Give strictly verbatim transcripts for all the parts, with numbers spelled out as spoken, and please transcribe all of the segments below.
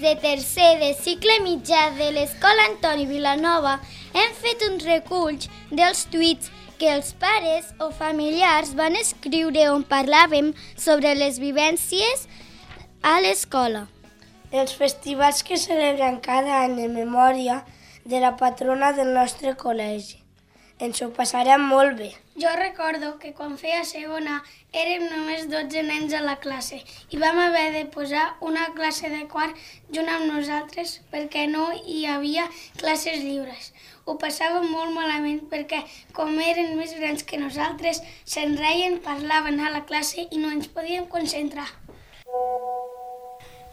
de tercer de cicle mitjà de l'Escola Antoni Vilanova hem fet un recull dels tuits que els pares o familiars van escriure on parlàvem sobre les vivències a l'escola. Els festivals que celebren cada any en memòria de la patrona del nostre col·legi. Ens ho passarem molt bé. Jo recordo que quan feia segona érem només dotze nens a la classe i vam haver de posar una classe de quart junt amb nosaltres perquè no hi havia classes lliures. Ho passàvem molt malament perquè, com eren més grans que nosaltres, se'n reien, parlaven a la classe i no ens podíem concentrar.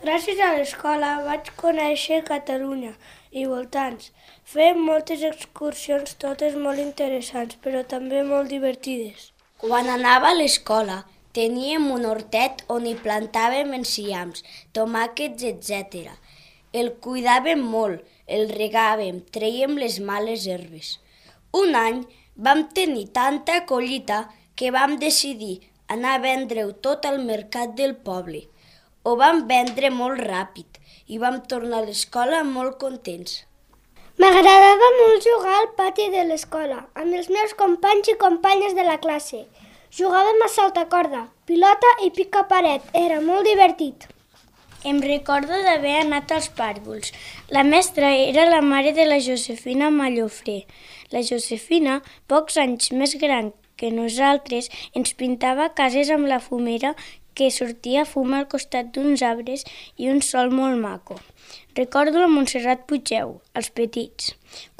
Gràcies a l'escola vaig conèixer Catalunya i voltants. Fem moltes excursions, totes molt interessants, però també molt divertides. Quan anava a l'escola teníem un hortet on hi plantàvem enciams, tomàquets, etcètera. El cuidàvem molt, el regàvem, trèiem les males herbes. Un any vam tenir tanta collita que vam decidir anar a vendre-ho tot al mercat del poble. Ho vam vendre molt ràpid i vam tornar a l'escola molt contents. M'agradava molt jugar al pati de l'escola, amb els meus companys i companyes de la classe. Jugàvem a saltacorda, pilota i pica-paret. Era molt divertit. Em recordo d'haver anat als pàrvuls. La mestra era la mare de la Josefina Mallofré. La Josefina, pocs anys més gran que nosaltres, ens pintava cases amb la fumera que sortia fum al costat d'uns arbres i un sol molt maco. Recordo la Montserrat Puigeu, els petits,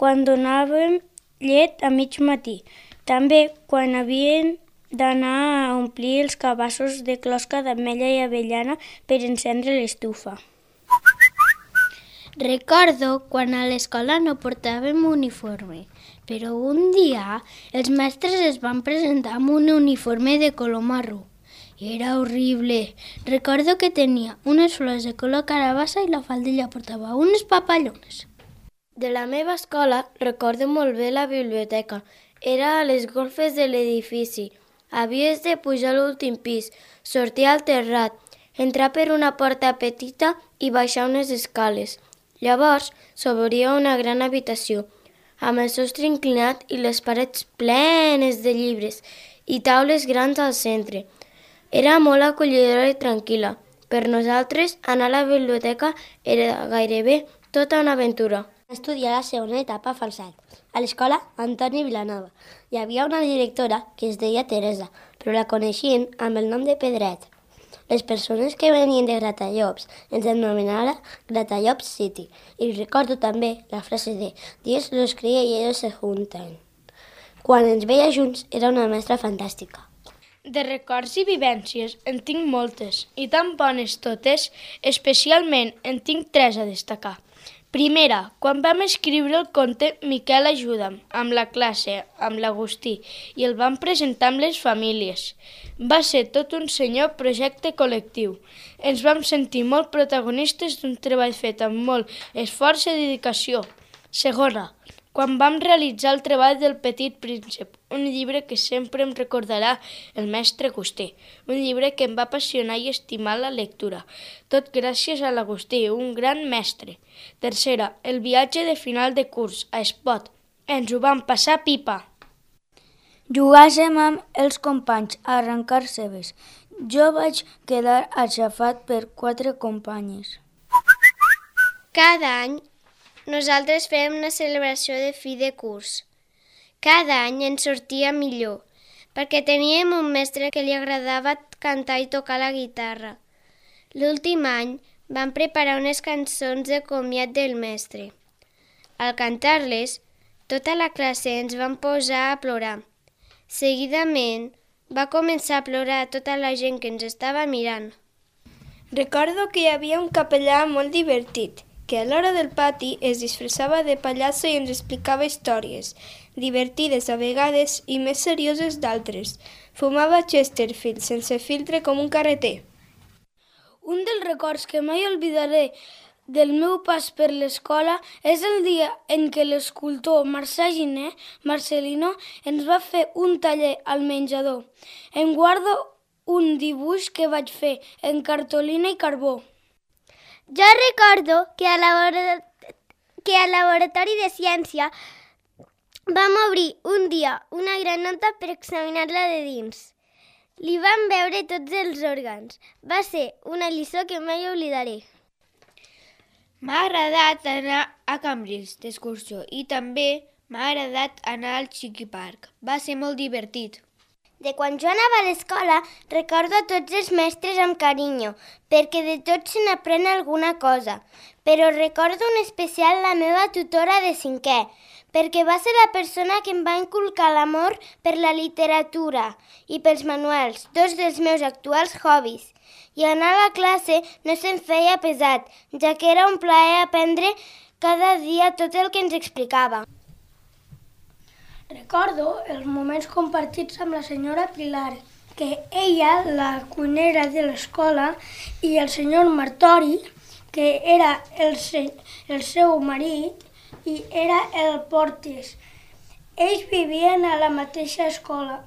quan donàvem llet a mig matí. També quan havien d'anar a omplir els cabassos de closca d'ametlla i avellana per encendre l'estufa. Recordo quan a l'escola no portàvem uniforme, però un dia els mestres es van presentar amb un uniforme de color marró. Era horrible. Recordo que tenia unes flors de color carabassa i la faldilla portava unes papallones. De la meva escola recordo molt bé la biblioteca. Era a les golfes de l'edifici. Havies de pujar a l'últim pis, sortir al terrat, entrar per una porta petita i baixar unes escales. Llavors s'obria una gran habitació, amb el sostre inclinat i les parets plenes de llibres i taules grans al centre. Era molt acollidora i tranquil·la. Per nosaltres, anar a la biblioteca era gairebé tota una aventura. Estudiar la segona etapa a Falset, a l'escola Antoni Vilanova. Hi havia una directora que es deia Teresa, però la coneixien amb el nom de Pedret. Les persones que venien de Gratallops ens anomenava Gratallops City. I recordo també la frase de «Dios los cría y ellos se juntan». Quan ens veia junts era una mestra fantàstica. De records i vivències en tinc moltes, i tan bones totes, especialment en tinc tres a destacar. Primera, quan vam escriure el conte Miquel ajuda'm, amb la classe, amb l'Agustí, i el vam presentar amb les famílies. Va ser tot un senyor projecte col·lectiu. Ens vam sentir molt protagonistes d'un treball fet amb molt esforç i dedicació. Segona, quan vam realitzar el treball del Petit Príncep, un llibre que sempre em recordarà el mestre Agustí, un llibre que em va apassionar i estimar la lectura, tot gràcies a l'Agustí, un gran mestre. Tercera, el viatge de final de curs a Espot. Ens ho vam passar pipa. Jugàssim amb els companys a arrencar cebes. Jo vaig quedar aixafat per quatre companyes. Cada any nosaltres fèiem una celebració de fi de curs. Cada any ens sortia millor, perquè teníem un mestre que li agradava cantar i tocar la guitarra. L'últim any vam preparar unes cançons de comiat del mestre. Al cantar-les, tota la classe ens vam posar a plorar. Seguidament, va començar a plorar tota la gent que ens estava mirant. Recordo que hi havia un capellà molt divertit, que a l'hora del pati es disfressava de pallasso i ens explicava històries, divertides a vegades i més serioses d'altres. Fumava Chesterfield sense filtre com un carreter. Un dels records que mai oblidaré del meu pas per l'escola és el dia en què l'escultor Marçà Giner, Marcelino, ens va fer un taller al menjador. Em guardo un dibuix que vaig fer en cartolina i carbó. Jo recordo que a labora... que al laboratori de ciència vam obrir un dia una granota per examinar-la de dins. Li vam veure tots els òrgans. Va ser una lliçó que mai oblidaré. M'ha agradat anar a Cambrils d'excursió i també m'ha agradat anar al Chiqui Park. Va ser molt divertit. De quan jo anava a l'escola, recordo a tots els mestres amb carinyo, perquè de tots se n'aprèn alguna cosa. Però recordo en especial la meva tutora de cinquè, perquè va ser la persona que em va inculcar l'amor per la literatura i pels manuals, dos dels meus actuals hobbies. I anar a la classe no se'm feia pesat, ja que era un plaer aprendre cada dia tot el que ens explicava. Recordo els moments compartits amb la senyora Pilar, que ella, la cuinera de l'escola, i el senyor Martori, que era el, se el seu marit, i era el porter. Ells vivien a la mateixa escola.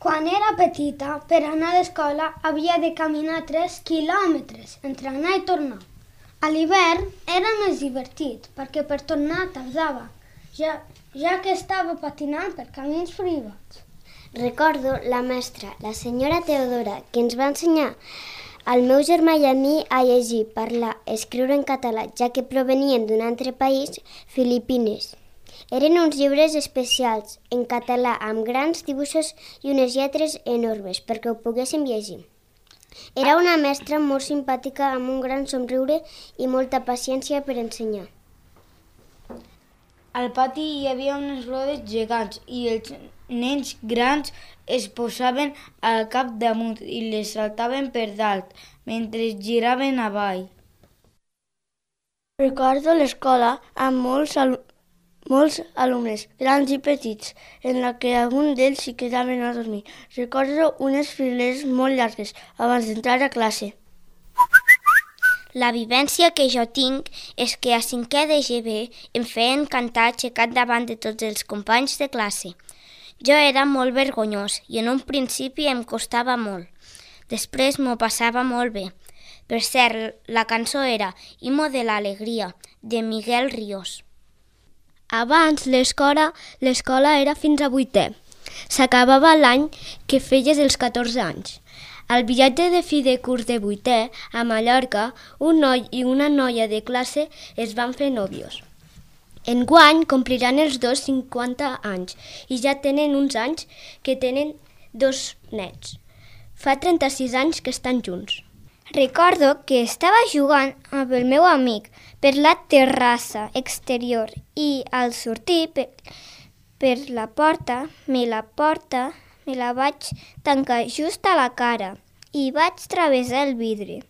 Quan era petita, per anar a l'escola havia de caminar tres quilòmetres entre anar i tornar. A l'hivern era més divertit, perquè per tornar tardava, ja, ja que estava patinant per camins privats. Recordo la mestra, la senyora Teodora, que ens va ensenyar al meu germà i a mi a llegir, parlar, escriure en català, ja que provenien d'un altre país, Filipines. Eren uns llibres especials, en català, amb grans dibuixos i unes lletres enormes, perquè ho poguéssim llegir. Era una mestra molt simpàtica, amb un gran somriure i molta paciència per ensenyar. Al pati hi havia unes rodes gegants i els nens grans es posaven al cap damunt i les saltaven per dalt, mentre giraven avall. Recordo l'escola amb molts, al molts alumnes, grans i petits, en la que alguns d'ells s'hi quedaven a dormir. Recordo unes fileres molt llargues abans d'entrar a classe. La vivència que jo tinc és que a cinquè de G B em feien cantar aixecat davant de tots els companys de classe. Jo era molt vergonyós i en un principi em costava molt. Després m'ho passava molt bé. Per cert, la cançó era Himno de l'Alegria, de Miguel Ríos. Abans l'escola l'escola era fins a vuitè. S'acabava l'any que feies els catorze anys. Al viatge de fi de curs de vuitè, a Mallorca, un noi i una noia de classe es van fer nòvios. Enguany compliran els dos cinquanta anys i ja tenen uns anys que tenen dos nets. Fa trenta-sis anys que estan junts. Recordo que estava jugant amb el meu amic per la terrassa exterior i al sortir per, per la porta, me la porta, me la vaig tancar just a la cara i vaig travessar el vidre.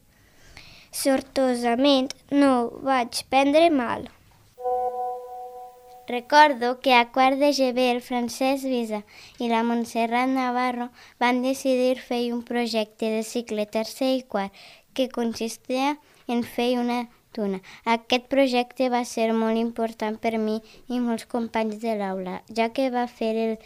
Sortosament no vaig prendre mal. Recordo que a quart de G B el Francesc Visa i la Montserrat Navarro van decidir fer un projecte de cicle tercer i quart que consistia en fer una tuna. Aquest projecte va ser molt important per mi i molts companys de l'aula, ja que va fer el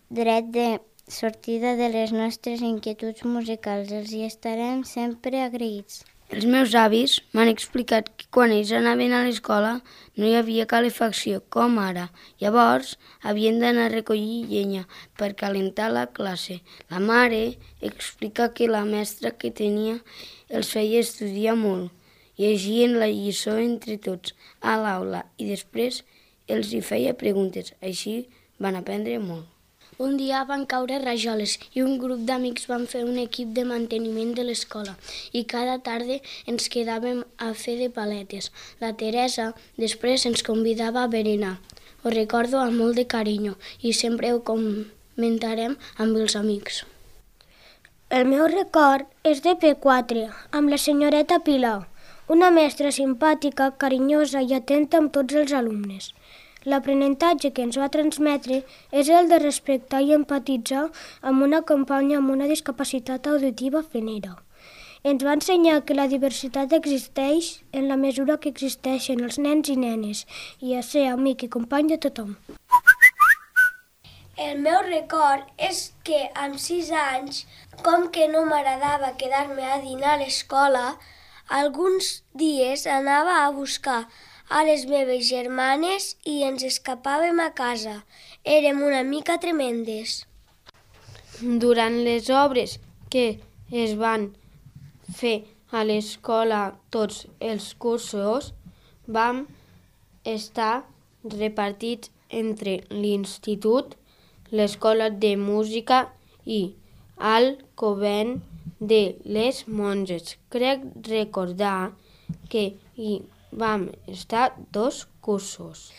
dret de sortida de les nostres inquietuds musicals. Els hi estarem sempre agraïts. Els meus avis m'han explicat que quan ells anaven a l'escola no hi havia calefacció, com ara. Llavors havien d'anar a recollir llenya per calentar la classe. La mare explica que la mestra que tenia els feia estudiar molt. Llegien la lliçó entre tots a l'aula i després els hi feia preguntes. Així van aprendre molt. Un dia van caure rajoles i un grup d'amics van fer un equip de manteniment de l'escola i cada tarda ens quedàvem a fer de paletes. La Teresa després ens convidava a berenar. Ho recordo amb molt de carinyo i sempre ho comentarem amb els amics. El meu record és de P quatre, amb la senyoreta Pilar, una mestra simpàtica, carinyosa i atenta amb tots els alumnes. L'aprenentatge que ens va transmetre és el de respectar i empatitzar amb una companya amb una discapacitat auditiva fenera. Ens va ensenyar que la diversitat existeix en la mesura que existeixen els nens i nenes i a ser amic i company de tothom. El meu record és que amb sis anys, com que no m'agradava quedar-me a dinar a l'escola, Alguns dies anava a buscar a les meves germanes i ens escapàvem a casa. Érem una mica tremendes. Durant les obres que es van fer a l'escola tots els cursos, vam estar repartits entre l'institut, l'escola de música i el convent de les monges. Crec recordar que hi vam estar dos cursos.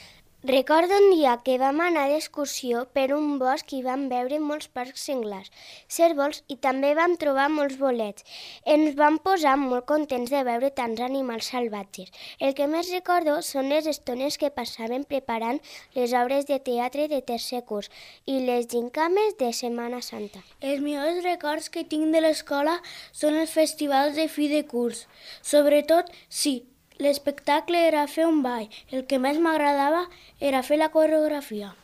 Recordo un dia que vam anar d'excursió per un bosc i vam veure molts parcs senglars, cérvols i també vam trobar molts bolets. Ens vam posar molt contents de veure tants animals salvatges. El que més recordo són les estones que passàvem preparant les obres de teatre de tercer curs i les gincames de Setmana Santa. Els millors records que tinc de l'escola són els festivals de fi de curs. Sobretot, sí, l'espectacle era fer un ball. El que més m'agradava era fer la coreografia.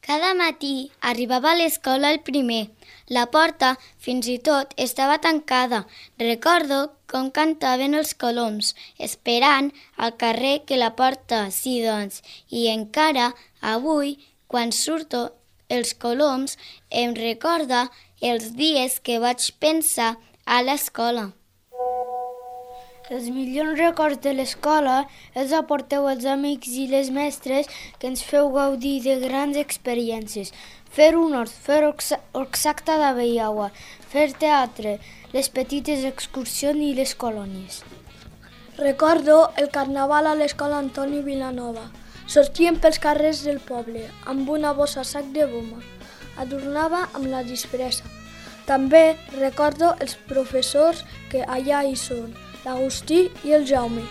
Cada matí arribava a l'escola el primer. La porta, fins i tot, estava tancada. Recordo com cantaven els coloms, esperant al carrer que la porta, sí, doncs. I encara avui, quan surto els coloms, em recorda els dies que vaig pensar a l'escola. Els millors records de l'escola els aporteu els amics i les mestres que ens feu gaudir de grans experiències. Fer un hort, fer exacta de Beiaua, fer teatre, les petites excursions i les colònies. Recordo el carnaval a l'escola Antoni Vilanova. Sortíem pels carrers del poble amb una bossa sac de goma. Adornava amb la disfressa. També recordo els professors que allà hi són, l'Agustí i el Jaume.